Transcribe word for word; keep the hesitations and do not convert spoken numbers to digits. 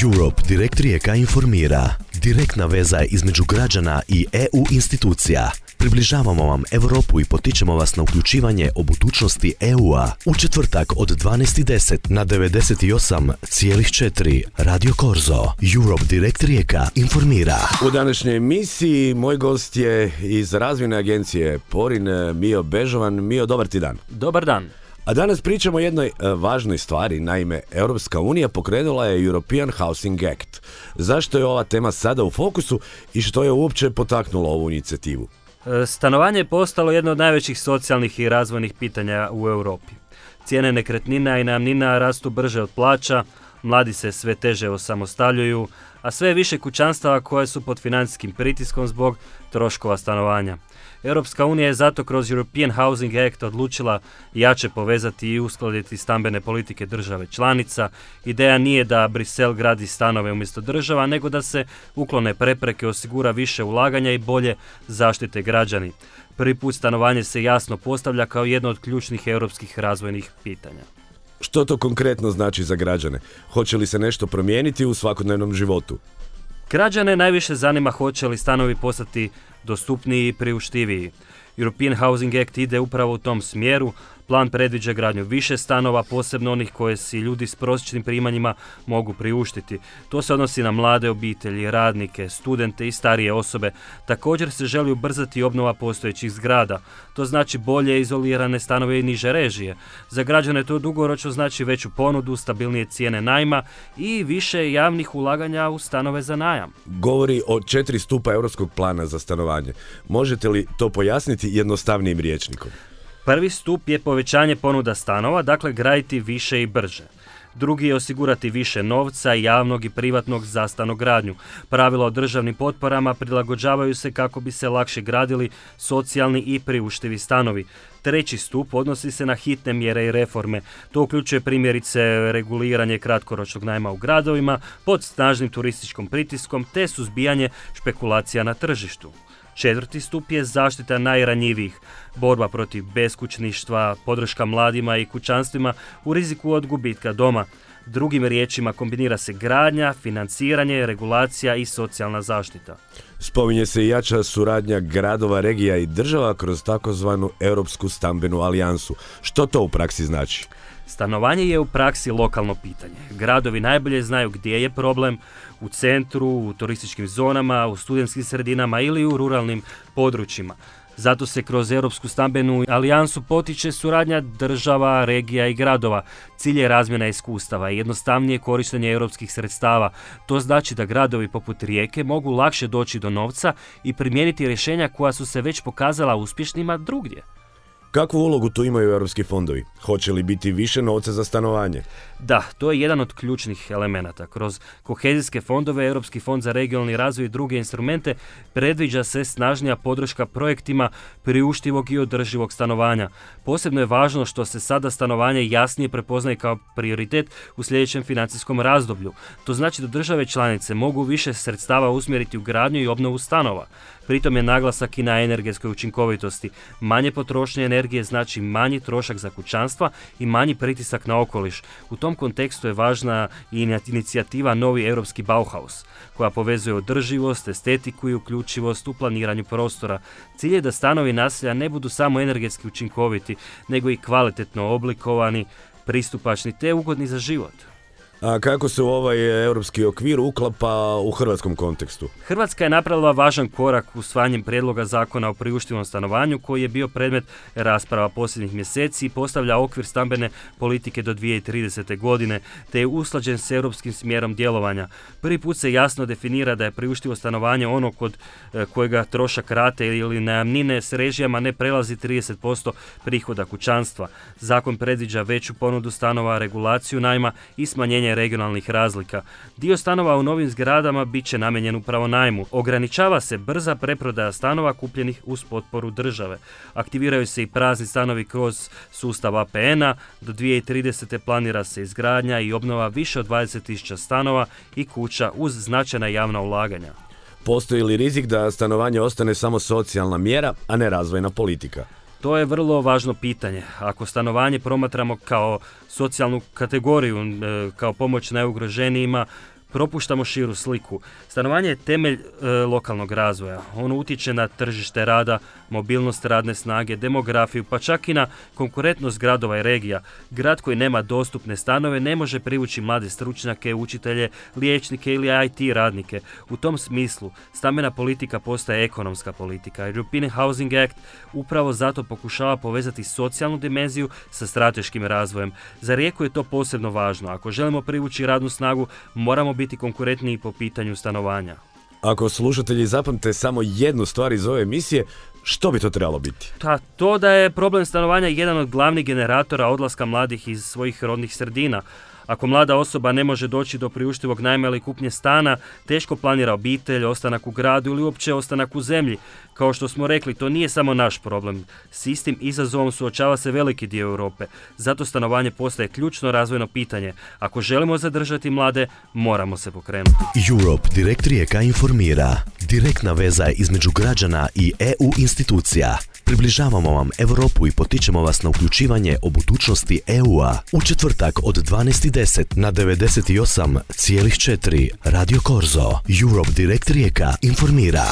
Europe Direkt Rijeka informira. Direktna veza između građana i E U institucija. Približavamo vam Europu i potičemo vas na uključivanje o budućnosti E U-a. U četvrtak od dvanaest i deset na devedeset osam zarez četiri Radio Korzo. Europe Direkt Rijeka informira. U današnjoj emisiji moj gost je iz razvojne agencije Porin, Mio Bežovan. Mio, dobar ti dan. Dobar dan. A danas pričamo o jednoj e, važnoj stvari. Naime, Europska unija pokrenula je European Housing Act. Zašto je ova tema sada u fokusu i što je uopće potaknulo ovu inicijativu? Stanovanje je postalo jedno od najvećih socijalnih i razvojnih pitanja u Europi. Cijene nekretnina i najamnina rastu brže od plaća, mladi se sve teže osamostaljuju, a sve više kućanstava koje su pod financijskim pritiskom zbog troškova stanovanja. Europska unija je zato kroz European Housing Act odlučila jače povezati i uskladiti stambene politike države članica. Ideja nije da Brisel gradi stanove umjesto država, nego da se uklone prepreke, osigura više ulaganja i bolje zaštite građani. Prvi put stanovanje se jasno postavlja kao jedno od ključnih europskih razvojnih pitanja. Što to konkretno znači za građane? Hoće li se nešto promijeniti u svakodnevnom životu? Građane najviše zanima hoće li stanovi postati dostupniji i priuštiviji. European Housing Act ide upravo u tom smjeru. Plan predviđa gradnju više stanova, posebno onih koje si ljudi s prosječnim primanjima mogu priuštiti. To se odnosi na mlade obitelji, radnike, studente i starije osobe. Također se želi ubrzati obnova postojećih zgrada. To znači bolje izolirane stanove i niže režije. Za građane to dugoročno znači veću ponudu, stabilnije cijene najma i više javnih ulaganja u stanove za najam. Govori o četiri stupa europskog plana za stanovanje. Možete li to pojasniti jednostavnijim rječnikom? Prvi stup je povećanje ponuda stanova, dakle graditi više i brže. Drugi je osigurati više novca, javnog i privatnog za stanogradnju. Pravila o državnim potporama prilagođavaju se kako bi se lakše gradili socijalni i priuštivi stanovi. Treći stup odnosi se na hitne mjere i reforme. To uključuje primjerice reguliranje kratkoročnog najma u gradovima pod snažnim turističkim pritiskom te suzbijanje špekulacija na tržištu. Četvrti stup je zaštita najranjivijih, borba protiv beskućništva, podrška mladima i kućanstvima u riziku od gubitka doma. Drugim riječima kombinira se gradnja, financiranje, regulacija i socijalna zaštita. Spominje se i jača suradnja gradova, regija i država kroz takozvanu Europsku stambenu alijansu. Što to u praksi znači? Stanovanje je u praksi lokalno pitanje. Gradovi najbolje znaju gdje je problem, u centru, u turističkim zonama, u studentskim sredinama ili u ruralnim područjima. Zato se kroz Europsku stambenu alijansu potiče suradnja država, regija i gradova. Cilj je razmjena iskustava i jednostavnije korištenje europskih sredstava. To znači da gradovi poput Rijeke mogu lakše doći do novca i primijeniti rješenja koja su se već pokazala uspješnima drugdje. Kakvu ulogu tu imaju europski fondovi? Hoće li biti više novca za stanovanje? Da, to je jedan od ključnih elemenata. Kroz kohezijske fondove, Europski fond za regionalni razvoj i druge instrumente predviđa se snažnija podrška projektima priuštivog i održivog stanovanja. Posebno je važno što se sada stanovanje jasnije prepoznaje kao prioritet u sljedećem financijskom razdoblju. To znači da države članice mogu više sredstava usmjeriti u gradnju i obnovu stanova. Pritom je naglasak i na energetskoj učinkovitosti. Manje potrošnje energije znači manji trošak za kućanstva i manji pritisak na okoliš. U tom kontekstu je važna i inicijativa Novi europski Bauhaus, koja povezuje održivost, estetiku i uključivost u planiranju prostora. Cilj je da stanovi naselja ne budu samo energetski učinkoviti, nego i kvalitetno oblikovani, pristupačni te ugodni za život. A kako se u ovaj europski okvir uklapa u hrvatskom kontekstu? Hrvatska je napravila važan korak usvajanjem prijedloga zakona o priuštivom stanovanju koji je bio predmet rasprava posljednjih mjeseci i postavlja okvir stambene politike do dvije tisuće tridesete. godine, te je usklađen s europskim smjerom djelovanja. Prvi put se jasno definira da je priuštivo stanovanje ono kod kojega trošak rate ili najamnine s režijama ne prelazi trideset posto prihoda kućanstva. Zakon predviđa veću ponudu stanova, regulaciju najma i smanjenje regionalnih razlika. Dio stanova u novim zgradama bit će namijenjen upravo najmu. Ograničava se brza preprodaja stanova kupljenih uz potporu države. Aktiviraju se i prazni stanovi kroz sustav A P N-a. Do dvije tisuće tridesete. planira se izgradnja i obnova više od dvadeset tisuća stanova i kuća uz značajna javna ulaganja. Postoji li rizik da stanovanje ostane samo socijalna mjera, a ne razvojna politika? To je vrlo važno pitanje. Ako stanovanje promatramo kao socijalnu kategoriju, kao pomoć najugroženijima, propuštamo širu sliku. Stanovanje je temelj e, lokalnog razvoja. Ono utječe na tržište rada, mobilnost radne snage, demografiju, pa čak i na konkurentnost gradova i regija. Grad koji nema dostupne stanove ne može privući mlade stručnjake, učitelje, liječnike ili I T radnike. U tom smislu stambena politika postaje ekonomska politika. European Housing Act upravo zato pokušava povezati socijalnu dimenziju sa strateškim razvojem. Za Rijeku je to posebno važno. Ako želimo privući radnu snagu, moramo biti konkurentniji po pitanju stanovanja. Ako slušatelji zapamte samo jednu stvar iz ove emisije, što bi to trebalo biti? Ta, to da je problem stanovanja jedan od glavnih generatora odlaska mladih iz svojih rodnih sredina. Ako mlada osoba ne može doći do priuštivog najma ili kupnje stana, teško planira obitelj, ostanak u gradu ili uopće ostanak u zemlji. Kao što smo rekli, to nije samo naš problem. S istim izazovom suočava se veliki dio Europe. Zato stanovanje postaje ključno razvojno pitanje. Ako želimo zadržati mlade, moramo se pokrenuti. Europe Direkt Rijeka informira. Direktna veza između građana i E U institucija. Približavamo vam Europu i potičemo vas na uključivanje o budućnosti E U-a. U četvrtak od dvanaest i deset na devedeset osam zarez četiri Radio Korzo. Europe Direkt Rijeka informira.